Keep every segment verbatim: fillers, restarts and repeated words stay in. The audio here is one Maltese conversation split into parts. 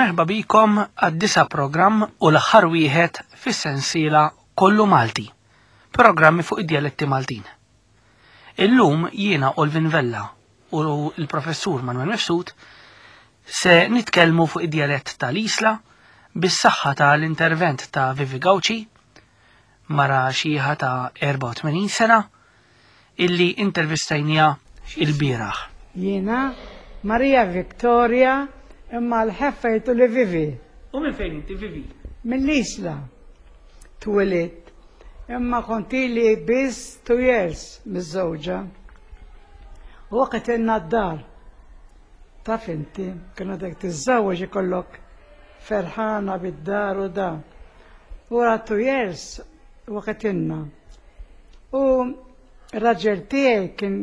Merħba bikom għad-disa' programm u l-aħħar wieħed fis-sensiela Kollu Malti, programmi fuq id-djaletti Maltin. Illum jiena Olvin Vella u l-professur Manuel Mifsud se nitkellmu fuq id-djalett tal-Isla bis-saħħa tal-intervent ta' Vivi Gauci, mara xieħa ta' erbgħa u tmenin sena, illi intervistajnija il-bieraħ. Jiena Maria Victoria, imma l-ħeffa jgħidu li Vivi. U minn fejn inti Vivi? Mill-Isla. Twelidt. Imma kont ili biss two years miż-żewġa. U waqt inna d-dar. Taf inti, kienu dak tiżżewweġ ikollok ferħana bid-dar u da. Wara two years waqt inna. U r-raġel tiegħi kien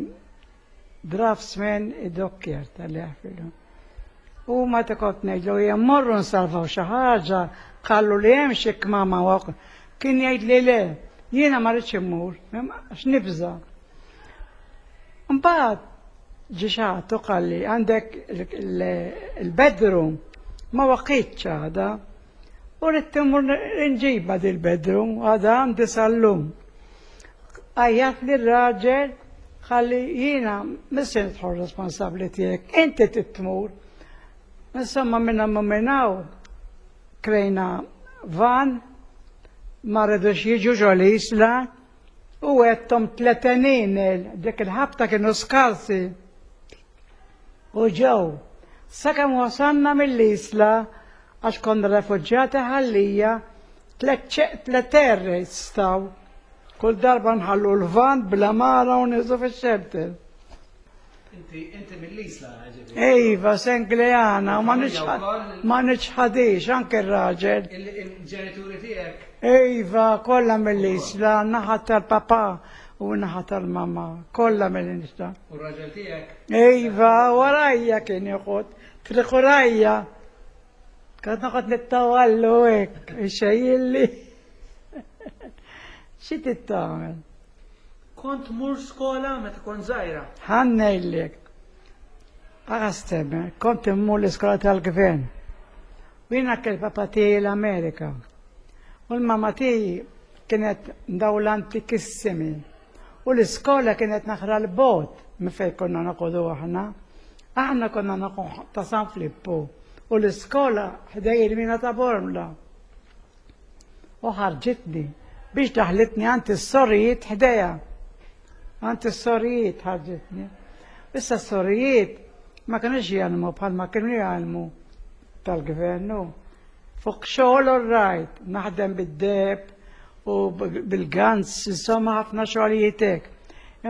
draftsman id-dokkjer tal-ħafilu. U ma kont ngħidlu jien morru nsalvaw xi ħaġa, qallu li hemm xi kmama waq. Kien jgħid li le, jiena ma rridx immur, għax nibża. Mbagħad ġie xi ħadd u qalli għandek il-bedroom ma waqitx għada. U rrid immur nġibha dil-bedroom, għada għandi sal-lum. Għajjat li r-raġel ħalli jiena mhux nidħol responsabbli tiegħek, inti titmur. Insomma minna ma minnaw krejna van, ma rridux jiġu ġol Isla u għedthom tletenin dik il-ħabta kienu skarsi. U ġew, sakemm wasalna mill-Isla għax konna refuġjati ħallija tliet erri staw. Kull darba nħallu l-van bla mara u niżu fix-shelter. Inti, inti mill-Isla, ġifieri? Iva, Sengleana, u ma niċħad- ma niċħadix, anke r-raġel. Il-ġenituri tiegħek? Iva, kollha mill-Isla, naħa tal-papà u naħa tal-mamà, kollha mill-Isla. U r-raġel tiegħek? Iva, warajja kien joqgħod, triqurajja. Kont noqgħod nittawallu hekk, ixejjilli. Xi tittamel? Kont mur skola meta kont żgħira. Ħa ngħidlek. Għastemme, kont immur l-iskola tal-gvern. U jiena kell papa tiegħi l-Amerika. U l-mama tiegħi kienet daw l-antikissimi. U l-iskola kienet naħra l-bot minn fejn konna noqogħdu aħna. Aħna konna noqogħdu ta' San Filippu. U l-iskola ħdej il-mina ta' Bormla. U ħarġitni biex daħlitni għand is-sorijiet ħdejha. Għand is-sorijiet ħarġitni. Issa s-sorijiet ma kienux jgħallmu bħalma kienu jgħallmu tal-gvernu. Fuq xogħol all right, naħdem bid-deb u bil-gans, insomma ħafna xogħlijiet hekk.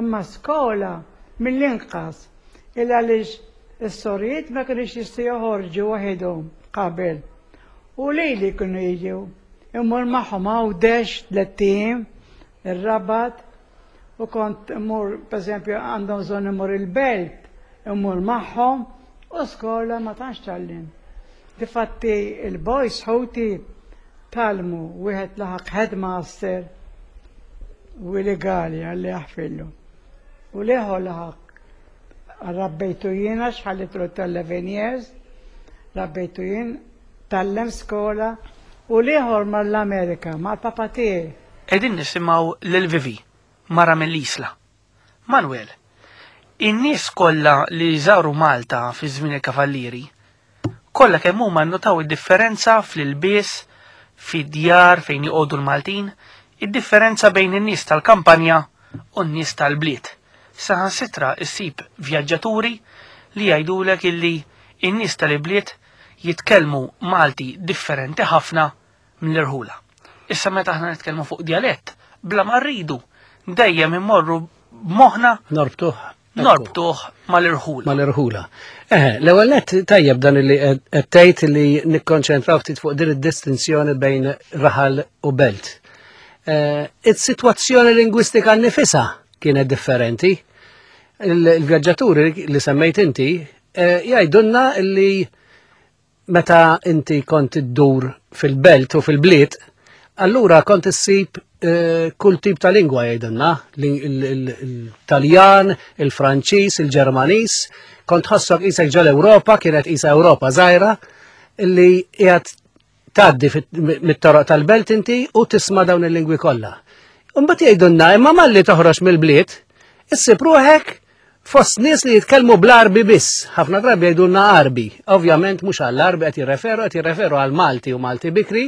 Imma skola mill-inqas il għaliex is-sorijiet ma kienux jistgħu joħorġu waħedhom qabel. U lejli kienu jiġu. Immur magħhom Għawdex tliet ijiem, ir-Rabat, u kont immur, per eżempju, għandhom bżonn immur il-belt, immur magħhom, u skola ma tantx tgħallim. Difatti il-boys ħuti tgħallmu, wieħed laħaq headmaster u illegali għalli jaħfillu. U l-ieħor laħaq rabbejtu jiena xħallitlu eleven years, rabbejtu jien, tgħallem skola, u l-ieħor mar l-Amerika, mal-papa tiegħi. Qegħdin nisimgħu lil Vivi, mara mill-Isla. Manuel, in-nies kollha li żaru Malta fi żmien il-Kavallieri, kollha kemm huma nnotaw id-differenza fl-ilbies, fid-djar fejn joqogħdu l-Maltin, id-differenza bejn in-nies tal-kampanja u n-nies tal-bliet. Saħansitra issib vjaġġaturi li jgħidulek illi in-nies tal-bliet jitkellmu Malti differenti ħafna mill-irħula. Issa meta aħna nitkellmu fuq djalett, bla ma rridu, dejjem immorru b'moħħna Norbtuh. norbtuh mal-irħula. Mal-irħula. Eh, l-ewwel nett tajjeb dan li qed tgħid li nikkonċentraw ftit fuq din id-distinzjoni bejn raħal u belt. Eh, Is-sitwazzjoni lingwistika nifisha kienet differenti. Il-vjaġġaturi li semmejt inti eh, jgħidulna li meta inti kont iddur fil-belt u fil-bliet, allura kont issib eh, kull tip ta' lingwa jgħidulna, il-Taljan, il-Franċiż, il-Ġermaniż, kont ħossok qisek ġol Ewropa, kienet qisha Ewropa żgħira, Illi qiegħed tgħaddi mit-toroq tal-belt inti u tisma' dawn il-lingwi kollha. Imbagħad jgħidulna imma malli toħroġ mill-bliet, issib ruħek fost nies li jitkellmu bl-Arbi biss. Ħafna drabi jgħidulna Arbi. Ovvjament mhux għall-Arbi qed jirreferu, qed jirreferu għal Malti u Malti Bikri,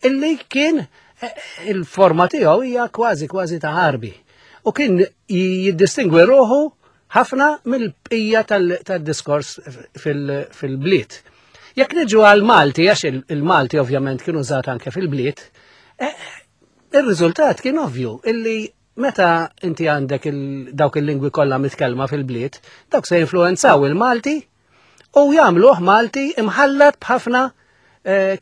illi kien il-forma tiegħu hija kważi kważi ta' Arbi. U kien jiddistingwi ruħu ħafna mill-bqija tad-diskors fil-bliet. Jekk niġu għal Malti, għax il-Malti ovvjament kien użat anke fil-bliet, ir-riżultat kien ovvju illi meta inti għandek dawk il-lingwi kollha mitkellma fil-bliet, dawk se jinfluwenzaw il-Malti u jagħmluh Malti imħallat b'ħafna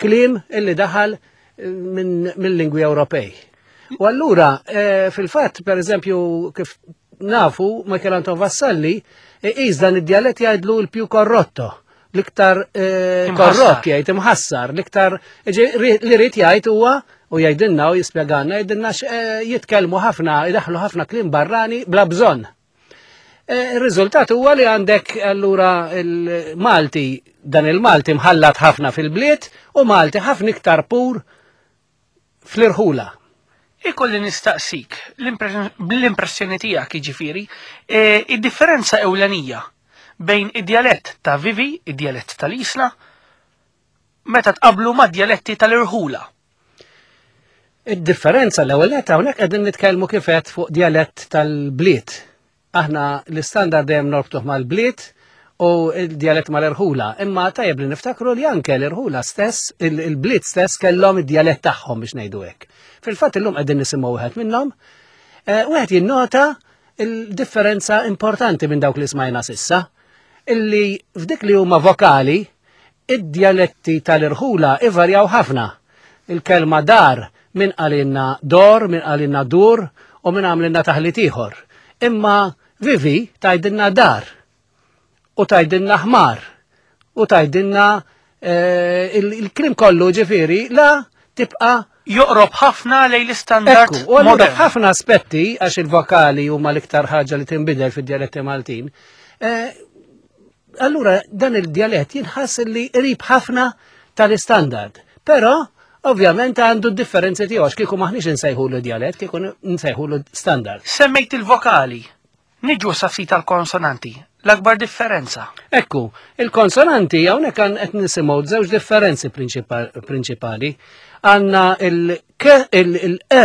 kliem illi daħal minn lingwi Ewropej. U allura, fil-fatt, per eżempju, kif nafu, Michael Anton Vassalli, iż dan id-dialett jgħidlu l-più corrotto, l-iktar korrott jgħid imħassar, l-iktar li rid jgħid huwa u jgħidilna u jispjegana, jgħidilna jitkellmu ħafna, idaħlu ħafna kliem barrani bla bżonn. Ir-riżultat huwa li għandek allura il-Malti, dan il-Malti mħallat ħafna fil-bliet u Malti ħafna iktar pur fl-irħula. Ikolli nistaqsik, l-impressjoni tiegħek jiġifieri, id-differenza ewlenija bejn id-djalett ta' Vivi, id-djalett tal-Isla, meta tqablu ma' djaletti tal-irħula. Id-differenza l-ewwel nett hawnhekk qegħdin nitkellmu kif qed fuq djalett tal-bliet. Aħna l-istandard dejjem norbtuh mal-bliet u l-djalett mal-irħula. Imma tajjeb li niftakru li anke l-irħula stess, il-bliet stess kellhom id-djalett tagħhom biex ngħidu hekk. Fil-fatt illum qegħdin nisimgħu wieħed minnhom, wieħed jinnota il-differenza importanti minn dawk li smajna sissa, illi f'dik li huma vokali, id-djaletti tal-irħula ivarjaw ħafna. Il-kelma dar min qalilna dor, min qalilna dur u min għamlilna taħlit ieħor. Imma Vivi tgħidilna dar u tgħidilna ħmar u tgħidilna il-klim kollu ġifieri la tibqa' joqrob ħafna lejn l-istandard. U allura ħafna aspetti għax il-vokali huma l-iktar ħaġa li tinbidel fid-djaletti Maltin. Allura dan il-djalett jinħass li qrib ħafna tal-istandard. Però ovvjament għandu d-differenzi tiegħu għax kieku maħniex insejħulu djalett, kieku nsejħulu standard. Semmejt il-vokali. Niġu sa ftit tal-konsonanti. L-akbar differenza. Ekku, il-konsonanti hawnhekk qed nisimgħu żewġ differenzi prinċipali. Għandna il-k, il-e,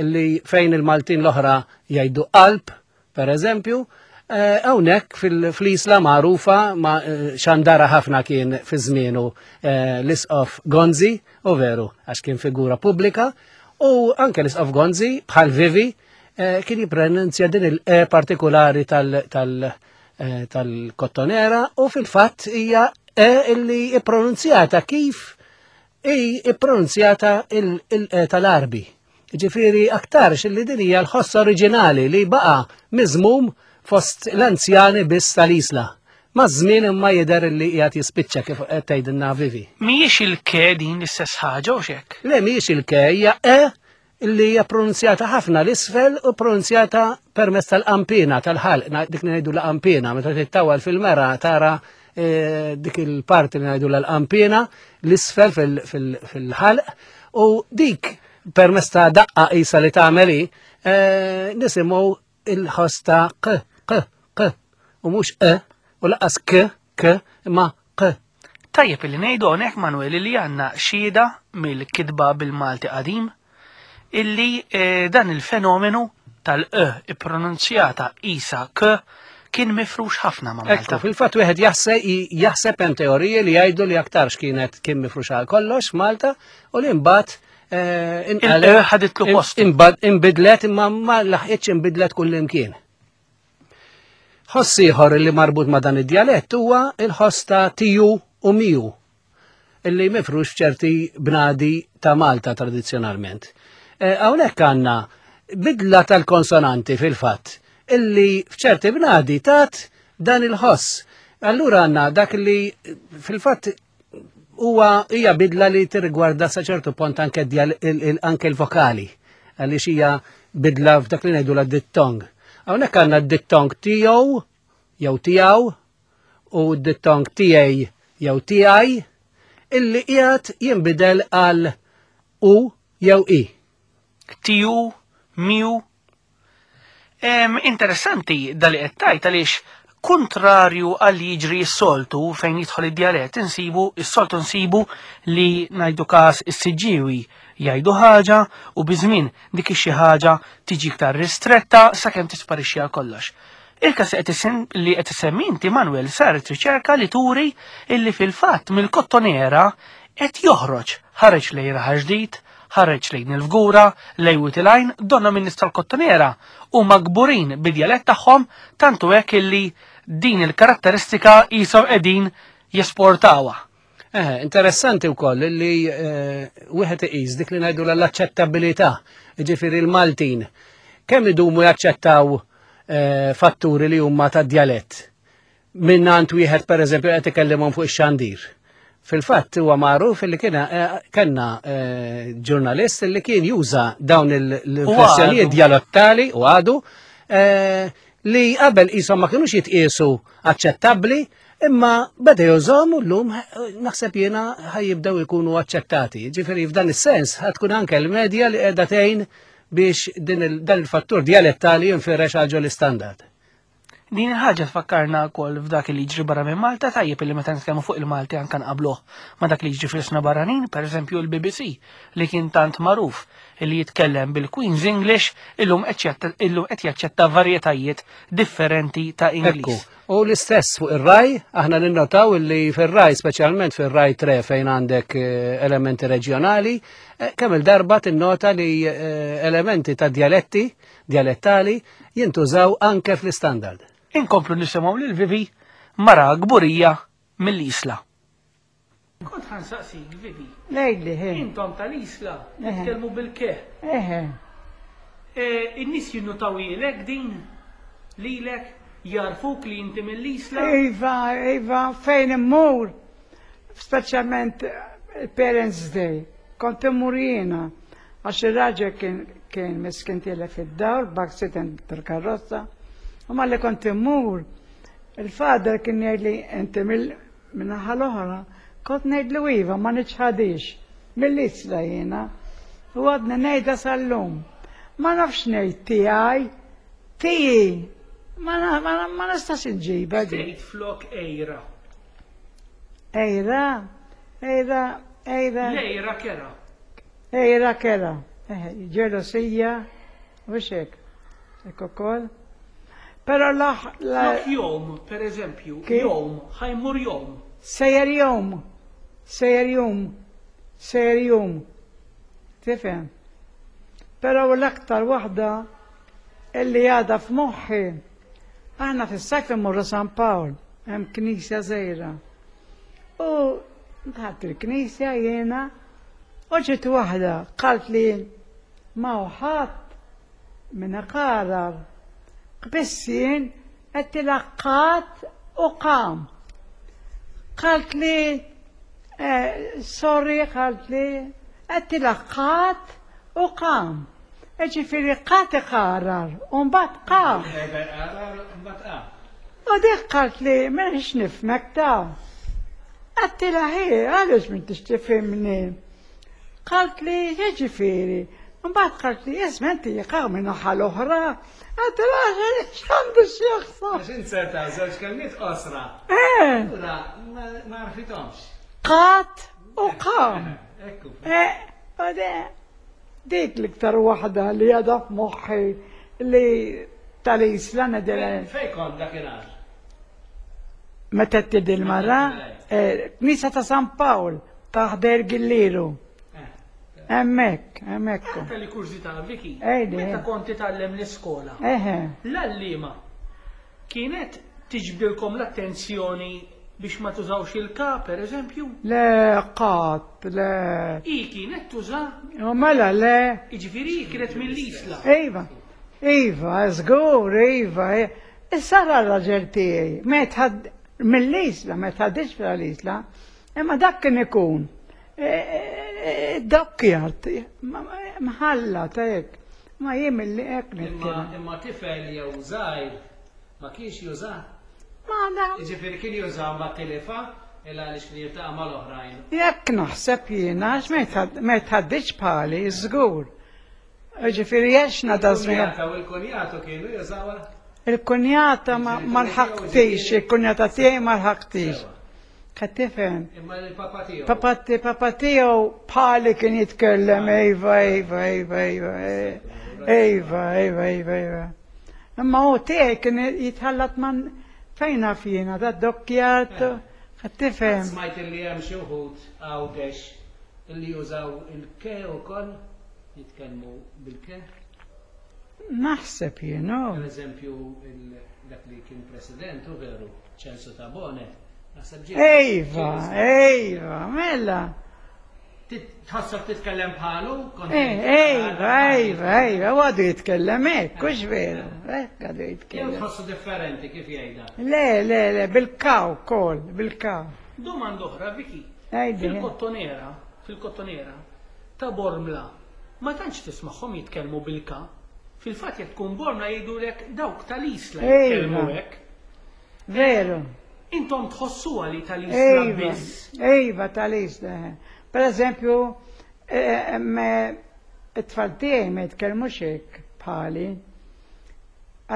illi fejn il-Maltin l-oħra jgħidu qalb, per eżempju, hawnhekk fl-Isla magħrufa ma xandara ħafna kien fi żmienu l-Isqof Gonzi, u veru, għax kien figura pubblika, u anke l-Isqof Gonzi bħal Vivi kien jippronunzja din il-e partikolari tal-kottonera u fil-fatt hija e illi ippronunzjata kif i ippronunzjata il-e tal-Arbi. Ġifieri aktarx illi din hija l-ħoss oriġinali li baqa' miżmum fost l-anzjani biss tal-Isla. Ma' żmien imma jidher li qiegħed jispiċċa kif qed tgħidilna Vivi. Mhijiex il-ke din l-istess ħaġa u x'hekk? Le, mhijiex il-ke, hija e illi hija pronunzjata ħafna l-isfel u pronunzjata permezz tal-qampina tal-ħalq, dik li ngħidu l-qampina, meta tittawal fil-mera tara dik il-parti li ngħidu l-qampina l-isfel fil-ħalq u dik permezz ta' daqqa qisha li tagħmel hi nisimgħu il-ħoss ta' q, q, q, u mhux e, u laqas k, k, imma q. Tajjeb li ngħidu hawnhekk Manuel li għandna xhieda mill-kitba bil-Malti qadim illi dan il-fenomenu tal-e ippronunzjata isa k kien mifrux ħafna ma' Malta. Ekku, fil-fatt wieħed jaħseb hemm teoriji li jgħidu li aktarx kienet kien mifrux għal kollox Malta u li mbagħad il-e ħaditlu post. Inbidlet imma ma laħqitx inbidlet kullimkien. Ħoss ieħor li marbut ma' dan id-djalett huwa il-ħoss ta' tiju u miju illi mifrux f'ċerti bnadi ta' Malta tradizzjonalment. Hawnhekk għandna bidla tal-konsonanti fil-fatt illi f'ċerti bnadi tat dan il-ħoss. Allura għandna dak li fil-fatt huwa hija bidla li tirrigwarda sa ċertu punt anke l-vokali għaliex hija bidla f'dak li ngħidu la dittong. Hawnhekk għandna d-dittong tiegħu jew tiegħu u d-dittong tiegħi jew tiegħi. illi qiegħed jinbidel għal U jew I. Tiju, miu. Em, interessanti dal qed tgħid għaliex kontrarju għal li jiġri s-soltu fejn jidħol id-djalett insibu s-soltu nsibu li ngħidu każ is-Siġġiewi jgħidu ħaġa u biż-żmien dik ix-xi ħaġa tiġi iktar ristretta sakemm tisparixxi għal kollox. Il-każ qed isim- li qed isemmi inti Manuel saret riċerka li turi illi fil-fatt mill-Kottonera qed joħroġ ħareġ lejn Raħal Ġdid, ħareġ lejn il-Fgura, lejn Wied il-Għajn, donna minn nies tal-Kottonera u kburin bid-djalett tagħhom tantu hekk illi din il-karatteristika qishom qegħdin jesportawha. Eh, interessanti wkoll li eh, wieħed iqis dik li ngħidu l-aċċettabilità, jiġifieri l-Maltin. Kemm idumu jaċċettaw eh, fatturi li huma ta' djalett? Minn għand wieħed pereżempju qed ikellimhom fuq ix-xandir. Fil-fatt huwa magħruf li kien eh, kellna eh, ġurnalist li kien juża dawn l-inflessjonijiet għadu. djalettali u għadu eh, li qabel qishom ma kinux jitqiesu aċċettabbli imma beda jużahom u llum eh, naħseb jiena ħa jibdew ikunu aċċettati. Ġifieri f'dan is-sens ħa tkun anke l-medja li qiegħda tgħin biex din il- dan il-fattur djalettali jinfirex għal ġol-istandard. Din il-ħaġa tfakkarna wkoll f'dak li jiġri barra minn Malta, tajjeb li meta nitkellmu fuq il-Malti anke nqabluh ma dak li jiġri fl-ilsna barranin, pereżempju l-B B C li kien tant magħruf li jitkellem bil-Queen's English illum qed jaċċetta- illum qed jaċċetta varjetajiet differenti ta' Ekku, Ingliż. u l-istess fuq ir-RAI, aħna ninnotaw li fir-RAI, speċjalment fir-RAI tre fejn għandek eh, elementi reġjonali, eh, kemm il-darba tinnota li eh, elementi ta' dialetti, dialettali, jintużaw anke fl-istandard. Inkomplu nisimgħu lil Vivi, mara gburija mill-Isla. Kont ħa nsaqsik, Vivi, Lejli, he. intom tal-Isla Eħe. nitkellmu bil-ke. Eħe. In-nies jinnutaw lilek din lilek jarfuk li inti mill-Isla. Iva, iva, fejn immur, speċjalment il-Parents Day, kont immur jiena, għax il-raġel kien kien miskin tilef id-dawl, b'accident tal-karozza, u malli kont immur, il-father kien jgħidli inti mill-naħa l-oħra, kont ngħidlu iva, ma niċħadix, mill-Isla jiena, u għadni ngħidha sal-lum. Ma nafx ngħid tiegħi, tiegħi, ma na- ma na- ma nistax inġibha di. Tgħid flok ejra. Ejra, ejra, ejra, Lejra kera. Ejra kera. Eh, ġelosija, u xek. Hekk ukoll. Però laħ, la, Flok jom, per eżempju, Kif? jom, ħa jmur jom. Sejjer jum, sejjer jum, sejjer jum. Tifhem? Però l-aktar waħda illi għadha f'moħħi, aħna fis-sajf immorru San Pawl, hemm knisja żgħira. U dħalt il-knisja jiena, u ġiet waħda qalt li ma ħadd minn qarar. Biss jien qed qat u qam. Qalt li eh, sorry, qalt li qed qat u qam. Ġifieri qat iqarar, u mbagħad qam. U dik qalt li m'inix nifhmek ta'. Għedtilha hi, għaliex m'intix tifhimni? Qalt li jiġifieri. Mbagħad qalt li isma' inti jaqaw minn naħa l-oħra. Għedtilha x'għandu x'jaqsam. Għax inzerta żewġ kelmiet qosra. Eh, Ura, ma għarfithomx. qat u qam. Ekku. Eh, u de- dik l-iktar waħda li għadha f'moħħi li tal-Isla nedela. Fej kont dakinhar? Meta tidi l-mara, eh, Knisa ta' San Pawl, ta' ħdejn Gilliru. Hemmhekk, hemmhekk. Kelli kurżità, Viki, Ejdi. meta konti tgħallem l-iskola, Eħe, l-għalliema kienet tiġbdilkom l-attenzjoni biex ma tużawx il-ka, per eżempju? Le, qat, le. I kienet tuża, U mela le. iġifieri kienet mill-Isla. Iva, iva, żgur, iva. Issa r-raġel tiegħi, meta mill-Isla, meta ħadix fl-Isla, imma dak kien ikun. Dokkjart, mħalla ta' hekk. Ma jien mill-li hekk Imma nitkellem. imma tifel jew żgħir ma kienx juża. Ma da, Jiġifieri kien juża ma tilifa Illa għaliex kien jiltaqa' mal-oħrajn. Jekk naħseb jiena, għax ma jitħadditx bħali, żgur. Ġifieri għexna da żmien. Il-kunjata u l-kunjatu kienu jużawha? Il-kunjata ma lħaqtix, il-kunjata tiegħi ma lħaqtix. Qed tifhem? Imma il-papa tiegħu. Papa papa tiegħu bħali kien jitkellem, iva, iva, iva, iva, iva, iva, iva, iva. Imma hu tiegħi kien jitħallat man fejn naf jiena, da dokkjat, qed tifhem. Smajt li hemm xi wħud Għawdex illi jużaw il-ke ukoll, jitkellmu bil-ke. Naħseb jiena. Per eżempju, dak li kien president, u veru, Ċensu Tabone. Naħseb ġie. Ejva, ejva, mela. Tħossok titkellem bħalu? Ejva, ejva, ejva, u għadu jitkellem hekk, hux veru, hekk għadu jitkellem. Jew tħossu differenti kif jgħidha? Le, le, le, bil-kaw kol, bil-kaw. Domanda oħra, Viki. Għidli. Fil-Kottonera, fil-Kottonera, ta' Bormla, ma tantx tismagħhom jitkellmu bil-ka. Fil-fatt jekk tkun Bormla jgħidulek dawk tal-Isla jitkellmu hekk. Veru. Intom tħossuha li tal-Isla biss. Ejva, tal-Isla. Per eżempju, it-tfal tiegħi ma jitkellmux hekk bħali.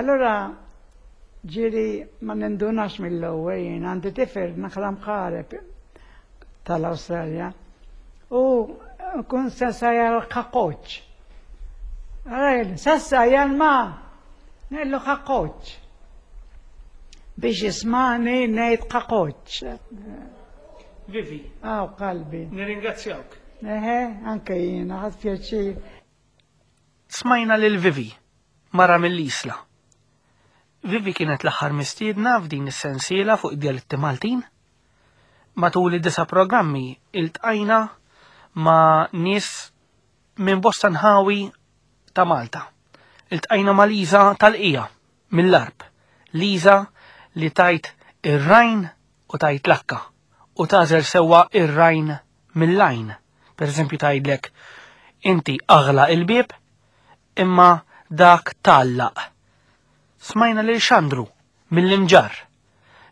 Allora ġieli ma nindunax mill-ewwel jien għandi tifel naħla mħareb tal-Awstralja u kun sassa l-kakoċ. Allora sassa ma ngħidlu kakoċ. Biex jismani ngħid kakoċ. Vivi. Aw, qalbi. Nirringrazzjawk. Eħe, anke jiena, ħadt pjaċir. Smajna lil Vivi, mara mill-Isla. Vivi kienet l-aħħar mistiedna f'din is-sensiela fuq id-djaletti Maltin. Matul id-disa programmi iltqajna ma' nies minn bosta nħawi ta' Malta. Iltqajna ma' Liza tal-Qija mill-Arb. Liza li tajt ir-rajn u tajt l-akka u tażel sewwa ir-rajn mill-lajn. Per eżempju tgħidlek inti aghla il-bieb imma dak tallaq. Smajna lil Xandru mill-Imġarr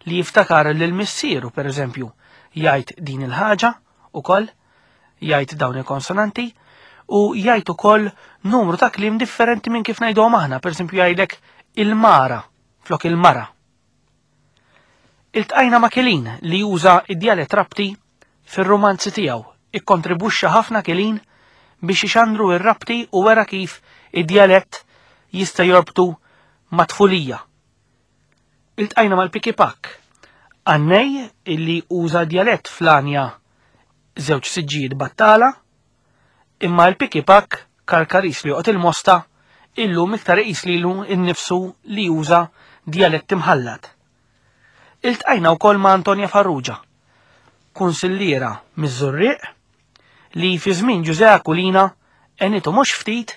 li jiftakar lil missieru per eżempju jgħid din il-ħaġa ukoll, jgħid dawn il-konsonanti u jgħid ukoll numru ta' kliem differenti minn kif ngħiduhom aħna, per eżempju jgħidlek il-mara flok il-mara. Iltqajna ma' Kilin li juża id-djalett Rabti fir-romanzi tiegħu. Ikkontribwixxa ħafna Kilin biex ixandru ir-Rabti u wera kif id-djalett jista' jorbtu ma' tfulija. Iltqajna mal-Piki Pak, għannej illi uża djalett fl-anja żewġ siġġijiet battala, imma l-Piki Pak karkaris li joqgħod il-Mosta illum iktar iqis lilu nnifsu li juża djalett imħallat. Iltqajna wkoll ma' Antonia Farrugia, kunsilliera miż-Żurrieq, li fi żmien Ġużè Aquilina għenitu mhux ftit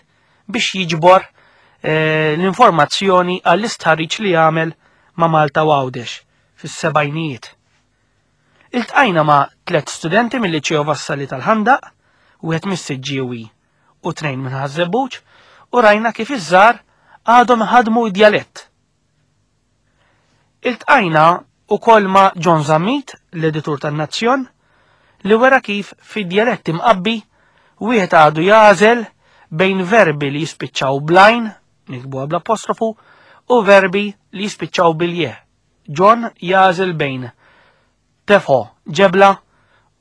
biex jiġbor eh, l-informazzjoni għall-istħarriġ li għamel ma' Malta u Għawdex fis-sebgħinijiet. Iltqajna ma' tliet studenti mill-Liċeo Vassalli tal-Ħandaq, wieħed mis-Siġġiewi u tnejn minn Ħaż-Żebbuġ, u rajna kif iż-żgħar għadhom ħadmu d-djalett. Iltqajna ukoll ma' John Zammit, l-editur tan-Nazzjon, li wera kif fid-djalett imqabbi wieħed għadu jażel bejn verbi li jispiċċaw blajn, nikbuha bl-apostrofu, u verbi li jispiċċaw bil-je. John jażel bejn tefo ġebla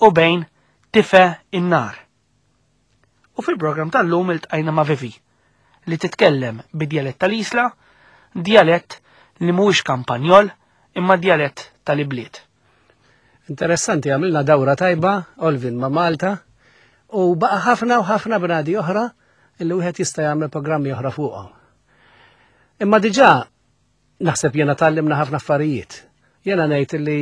u bejn tife in-nar. U fil-programm tal-lum iltqajna ma' Vivi, li titkellem bid-djalett tal-Isla, djalett li mhuwiex kampanjol, imma djalett tal-ibliet. Interessanti, għamilna dawra tajba, Olvin, ma' Malta, u baqa ħafna u ħafna bnadi oħra illi wieħed jista' jagħmel programmi oħra fuqhom. Imma diġà naħseb jiena tgħallimna ħafna affarijiet. Jiena ngħid li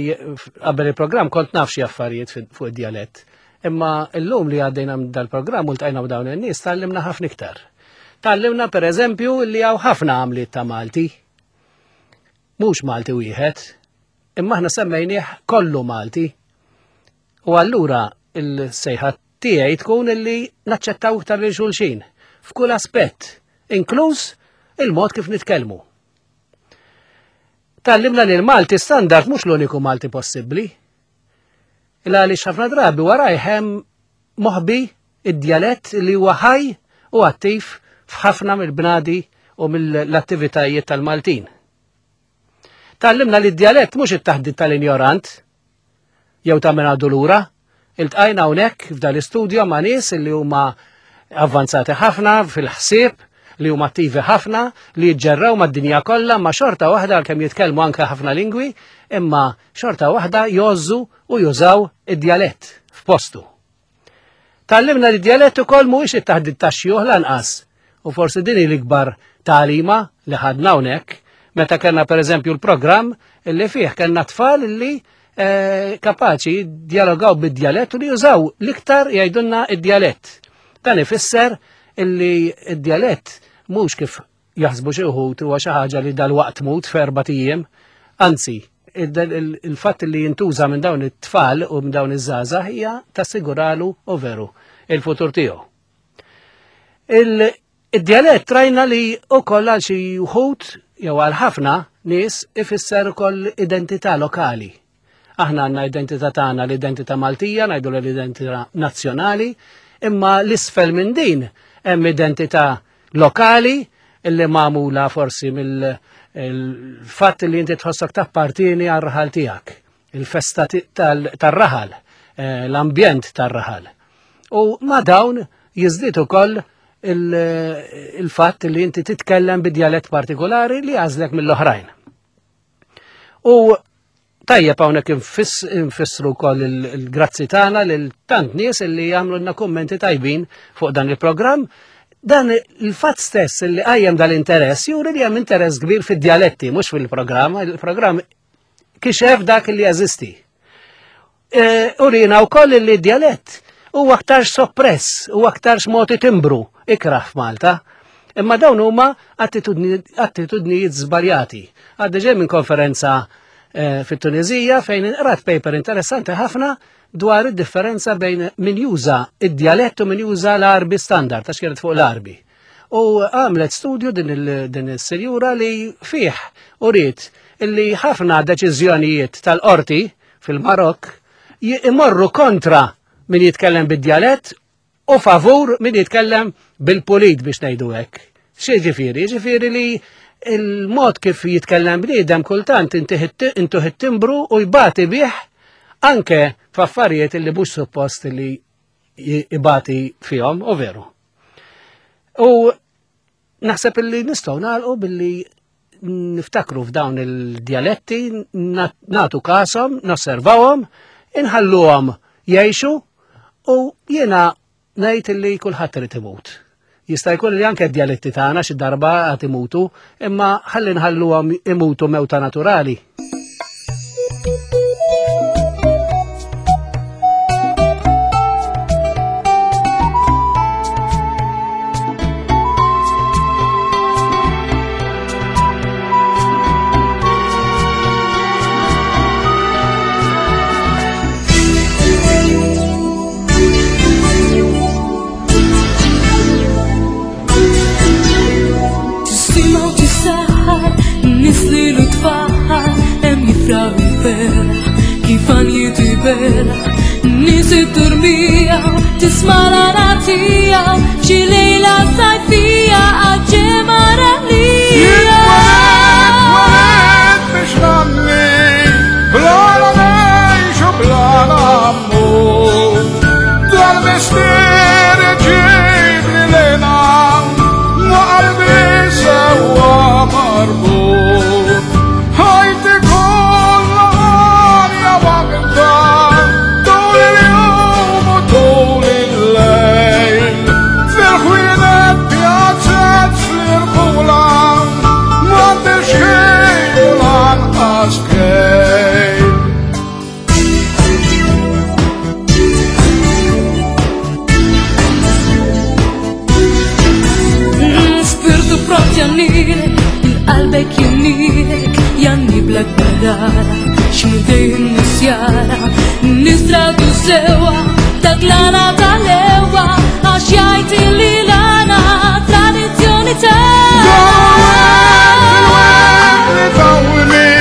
qabel il-programm kont naf xi affarijiet fuq id-djalett. Imma llum li għaddejna dal-programm u ltqajna dawn in-nies tgħallimna ħafna iktar. Tgħallimna pereżempju li hawn ħafna għamliet ta' Malti. Mhux Malti wieħed, imma aħna semmejnieh kollu Malti. U allura il-sejħa tiegħi tkun illi naċċettaw iktar lil xulxin f'kull aspett, inkluż il-mod kif nitkellmu. Tgħallimna li l-Malti standard mhux l-uniku Malti possibbli. Illa għaliex ħafna drabi warajh hemm moħbi id-djalett li huwa ħaj u attiv f'ħafna mill-bnadi u mill-attivitajiet tal-Maltin. Tgħallimna li d-djalett mhux it-taħdit tal-injorant jew ta' minn għadu lura. Iltqajna hawnhekk f'dan l-istudjo ma' nies li huma avvanzati ħafna fil-ħsieb, li huma attivi ħafna, li jiġġerraw mad-dinja kollha, ma xorta waħda għalkemm jitkellmu anke ħafna lingwi, imma xorta waħda jgħożżu u jużaw id-djalett f'postu. Tgħallimna li d-djalett ukoll mhuwiex it-taħdit tax-xjuħ lanqas, u forsi din hi l-ikbar tagħlima li ħadna hawnhekk meta kellna pereżempju l-programm illi fih kellna tfal illi eh, kapaċi dialogaw bid-djalett u li jużaw l-iktar jgħidulna id-djalett. Dan ifisser illi id-djalett mhux kif jaħsbu xi wħud huwa xi ħaġa li dalwaqt tmut f'erbat ijiem, anzi il-fatt li jintuża minn dawn it-tfal u minn dawn iż-żgħażagħ hija tassiguralu u veru il-futur tiegħu. Id-djalett rajna li wkoll għal xi wħud jew għal ħafna nies ifisser ukoll identità lokali. Aħna għandna identità tagħna, l-identità Maltija, ngħidu l-identità nazzjonali, imma l-isfel minn din hemm identità lokali illi magħmula forsi mill-fatt li inti tħossok tappartieni għar-raħal tiegħek, il-festa tar-raħal, l-ambjent tar-raħal. U ma' dawn jiżdied ukoll il-fatt li inti titkellem bid-djalett partikolari li għażlek mill-oħrajn. U tajjeb hawnhekk infissru wkoll il-grazzi tagħna lil tant nies illi jagħmlulna kummenti tajbin fuq dan il-programm. Dan il-fatt stess li qajjem dal-interess juri li hemm interess kbir fid-djaletti, mhux fil-programm. Il-programm kixef dak li jeżisti. Urina wkoll li d-djalett huwa aktarx soppress, huwa aktarx mod timbru ikrah f'Malta. Imma dawn huma attitudnijiet żbaljati. Għaddi ġej minn konferenza fit-Tunizija fejn inqrat paper interessanti ħafna dwar id-differenza bejn min juża id-djalett u min juża l-Arbi standard, għax kienet fuq l-Arbi. U għamlet studju din is-sinjura li fih uriet illi ħafna deċiżjonijiet tal-qorti fil-Marokk imorru kontra min jitkellem bid-djalett u favur min jitkellem bil-pulit biex ngħidu hekk. X'jiġifieri? Jiġifieri li il-mod kif jitkellem bniedem kultant intuħ it-timbru u jbati bih anke f'affarijiet li mhux suppost li jibati fihom, u veru. U naħseb illi nistgħu nagħlqu billi niftakru f'dawn il-djaletti, nagħtu kashom, nosservawhom, inħalluhom jgħixu, u jiena ngħid illi kulħadd irid imut. Jista' jkun li anke d-djaletti tagħna xi darba għad imutu, imma ħalli nħalluhom imutu mewta naturali. Tisma' l-għana xi lejla sajfija għaġġema ralija. Jien biex nagħmli bla ngħix u bla nmut. Dal-mistier iġibni lejna ma' qalbi sewwa marbut. Ħajti kollha għalja waħda tul il-jum u tul il-lejl. Fil-ħwienet pjazzet fl-irħula m'għandix ħin u lanqas kejl. Spirtu pront jannilek, il-qalbek jannilek, janniblek barara, x'midej n-nisjara, nistradu sewa, taglana tal-ewa, għax jgħid li l-għana tradizzjoni ta' Dal-wet li tawni,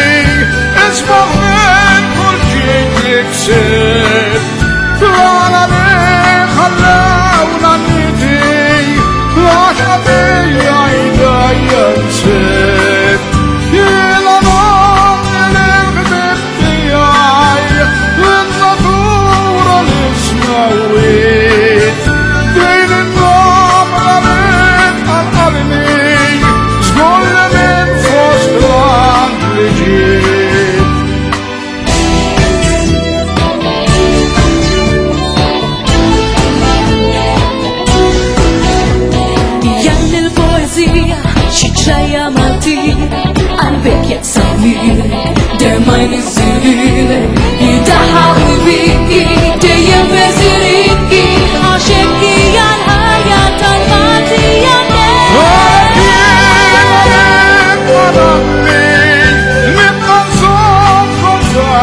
isbaħ minn kull ġid li ksibt.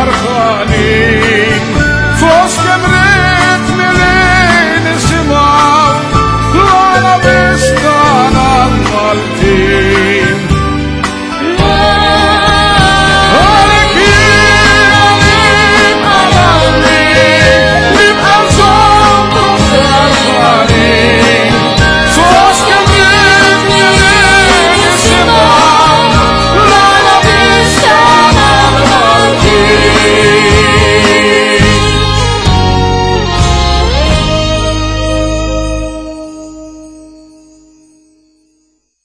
Ferħanin.